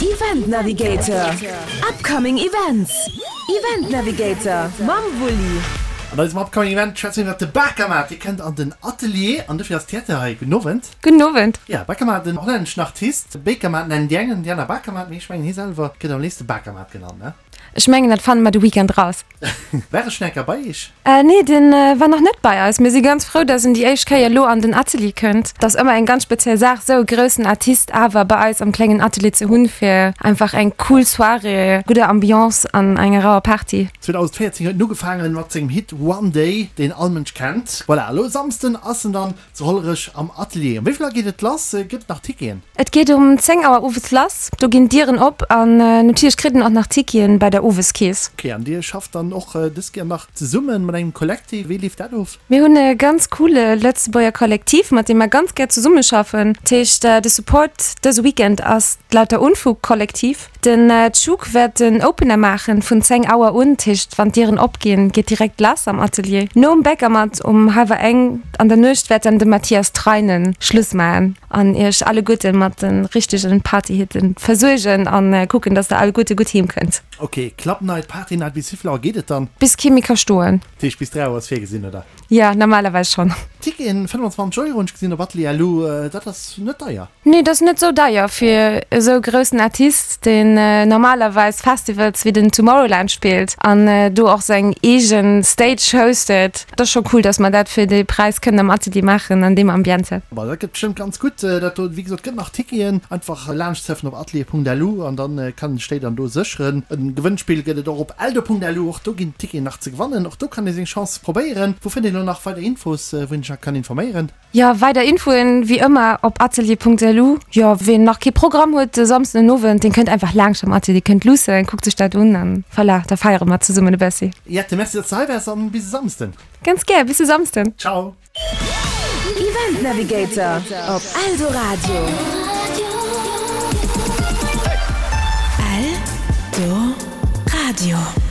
Event Navigator, Upcoming Events, Event Navigator mam Wulli. An eisem Upcoming Event schwätze mir iwwert de Bakermat. Dee kënnt an den Atelier an dofir ass d'Jette hei. Gudden Owend. Gudden Owend. Ja, Bakermat, en hollänneschen Artist. Bakermat nennen déi eng an déi aner Bakermat, mee ech mengen hie selwer gëtt am léifste Bakermat genannt, ne? Ech mengen dat fanne mer de Weekend raus. War e schon eng Kéier bei iech? Nee, den war nach net bei eis. Mir si ganz frou, dass en déi éischt Kéier elo an den Atelier kënnt. Et ass ëmmer eng ganz speziell Saach, esou e groussen Artist awer bei eis am klengen Atelier ze hunn, fir einfach eng cool Soirée, gudder Ambiance an enger rauer Party. 2014 huet en ugefaangen mat sengem Hit One Day, deen all Mënsch kennt. Voilà, elo e Samsden ass en dann Zu Hollerech am Atelier. Um wéi vill Auer geet et lass? Gëtt et nach Ticketen? Et geet um 10 Auer owes lass. Do ginn d'Dieren op an natierlech kritt een och nach Ticketen bei der Oweskeess. Ok, an dir schafft dann och dës Kéier nach zesummen mat engem Kollektiv. Wéi leeft dat of? Mir hunn e ganz coole Lëtzebuerger Kollektiv, mat deem mer ganz gär zesummeschaffen. Dat heescht, de Support dëse Weekend ass d'Lauter Unfug Kollektiv. Den Tschuk wäert den Opener maachen vun 10 Auer un, dat heescht wann d'Dieren opginn, geet direkt lass am Atelier. Nom Bäckermatt um hallwer eng an der Nuecht wäert dann de Mathias Treinen Schluss maachen an iech alleguerte mat de richtegen Partyhitten versuergen an kucken, dass der alleguerte gutt heem kënnt. Ok, Club Night, Party Night, bis wéivill Auer geet et dann? Bis kee méi ka stoen. Dat heescht bis 3 Auer ass virgesinn, oder? Jo, normalerweis schonn. Ticketen 25 Euro hunn ech gesinn op Atelier Lu, dat ass net deier. Nee, dat ass net sou deier fir esou groussen Artist, deen normalerweis Festivals wéi den Tomorrowland spillt an do och seng eegen Stage hostet. Et ass scho cool, dass mer dat fir dee Präis kënnen am Atelier maachen an deem Ambiente. Bon, dat gëtt bestëmmt ganz gutt dat do. Wéi gesot, gëtt nach Ticketen. Einfach laanscht surfen op atelier.lu an dann kann een sech déi dann do sécheren. En Gewënnspill gëtt et och op eldo.lu, och do ginn Ticketen nach ze gewannen. Och do kann ee seng Chance probéieren. Wou fënnt een elo nach weider Infos, wou een sech nach kann informéieren? Jo, weider Infoen wéi ëmmer op atelier.lu. Jo, ween nach kee Programm huet de Samsden den Owend, deen kënnt einfach laangscht am Atelier, kënnt luussen, kuckt sech dat un an voilà, da feiere mer zesummen e bëssi. Jette, merci dass de hei waars an bis e Samsden. Ganz gär, bis e Samsden. Ciao. Event Navigator op Eldoradio. Eldoradio.